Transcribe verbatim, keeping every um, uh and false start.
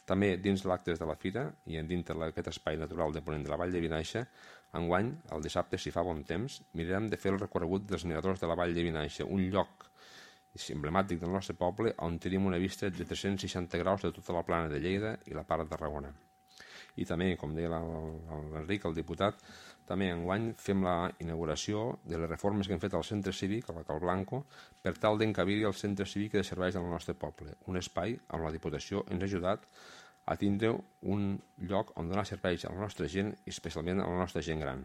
També dins l'actes de la fira i dintre d'aquest espai natural de ponent de la Vall de Vinaixa, enguany, el dissabte, si fa bon temps, mirarem de fer el recorregut dels miradors de la Vall de Vinaixa, un lloc emblemàtic del nostre poble on tenim una vista de tres-cents seixanta graus de tota la plana de Lleida i la part de Tarragona. I també, com deia l'Enric, el diputat, també enguany fem la inauguració de les reformes que hem fet al centre cívic, a la Cal Blanco, per tal d'encabir-hi el centre cívic de serveis del nostre poble, un espai on la Diputació ens ha ajudat a tindre un lloc on donar serveis a la nostra gent i especialment a la nostra gent gran.